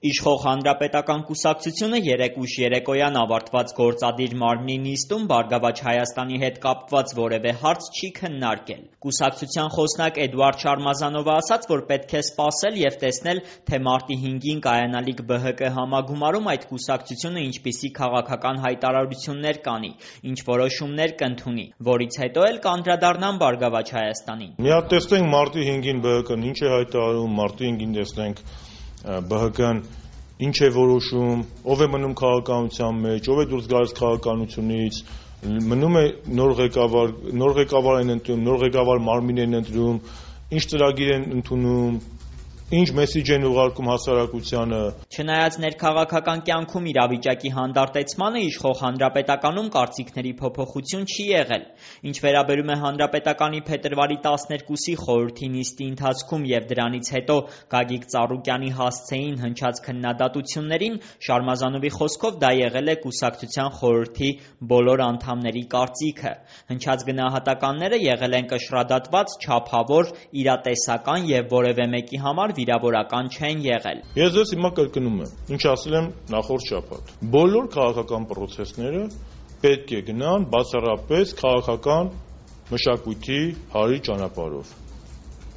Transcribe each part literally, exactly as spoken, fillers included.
Իշխող Հանրապետական կուսակցությունը երեկ ուշ երեկոյան ավարտված գործադիր մարմնի նիստում Բարգավաճ Հայաստանի հետ կապված որևէ հարց չի քննարկել։ Կուսակցության խոսնակ Էդուարդ Շարմազանովը ասաց, որ պետք է սպասել և տեսնել, թե մարտի հինգին կայանալիք Բ Հ Կ համագումարում այդ կուսակցությունը ինչպիսի քաղաքական հայտարարություններ կանի, ինչ որոշումներ կընդունի, որից հետո էլ կանդրադառնան Բարգավաճ Հայաստանին։ Մի հատ տեսնենք մարտի հինգին Բ Հ Կ-ն ինչ է հայտարարում, մարտի հինգին տեսնենք Բ Հ Կ-ն ինչ է որոշում, ով է մնում քաղաքականության մեջ, ով է դուրս գալիս քաղաքականությունից, մնում է նոր ղեկավար, նոր ղեկավար են ընտրում, նոր ղեկավար մարմին են ընտրում, ինչ ծրագիր են ընդունում, ինչ մեսիջ են ուղարկում հասարակությանը։ Չնայած ներքաղաքական կյանքում իրավիճակի հանդարտեցմանը, իշխող Հանրապետականում կարծիքների փոփոխություն չի եղել։ Ինչ վերաբերում է Հանրապետականի փետրվարի տասներկուսի խորհրդի նիստի ընթացքում և դրանից հետո Գագիկ Ծառուկյանի հասցեին հնչած քննադատություններին, Շարմազանովի խոսքով դա եղել է կուսակցության խորհրդի բոլոր անդամների կարծիքը։ Հնչած գնահատականները եղել են կշռադատված, չափավոր, իրատեսական և որևէ մեկի համար վիրավորական չեն եղել։ Ես ձեզ հիմա կրկնում եմ, ինչ ասել եմ նախորդ շաբաթ։ Բոլոր քաղաքական պրոցեսները պետք է գնան բացառապես քաղաքական մշակույթի հարի ճանապարհով։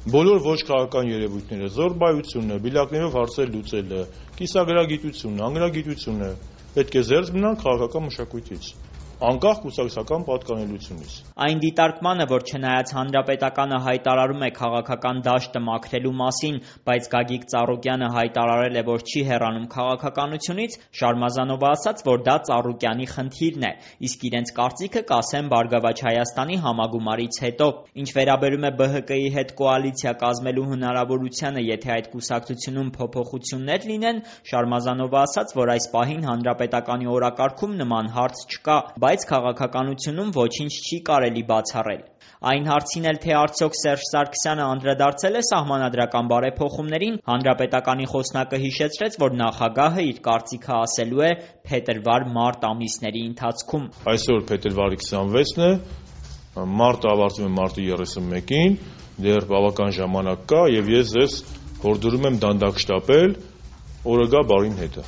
Բոլոր ոչ քաղաքական երևույթները, զոռբայությունը, բիլակներով հարցեր լուծելը, կիսագրագիտությունը, անգրագիտությունը պետք է զերծ մնան քաղաքական մշակույթից, անկախ կուսակցական պատկանելությունից։ Այն դիտարկմանը, որ չնայած Հանրապետականը հայտարարում է քաղաքական դաշտը մաքրելու մասին, բայց Գագիկ Ծառուկյանը հայտարարել է, որ չի հեռանում քաղաքականությունից, Շարմազանովը ասաց, որ դա Ծառուկյանի խնդիրն է, իսկ իրենց կարծիքը կասեն Բարգավաճ Հայաստանի համագումարից հետո։ Ինչ վերաբերում է Բ Հ Կ-ի հետ կոալիցիա կազմելու հնարավորությանը, եթե այդ կուսակցությունում փոփոխություններ լինեն, Շարմազանովը ասաց, որ այս պահին Հանրապետականի օրակարգում նման հարց չկա, բայց քաղաքականությունում ոչինչ չի կարելի բացառել։ Այն հարցին էլ, թե արդյոք Սերժ Սարգսյանը անդրադարձել է սահմանադրական բարեփոխումներին, Հանրապետականի խոսնակը հիշեցրեց, որ նախագահը իր կարծիքը ասելու է փետրվար-մարտ ամիսների ընթացքում։ Այսօր փետրվարի քսանվեցն է, մարտը ավարտվում է մարտի երեսունմեկին, դեռ բավական ժամանակ կա, և ես ձեզ հորդորում եմ դանդաղ շտապել, օրը գա բարին հետը։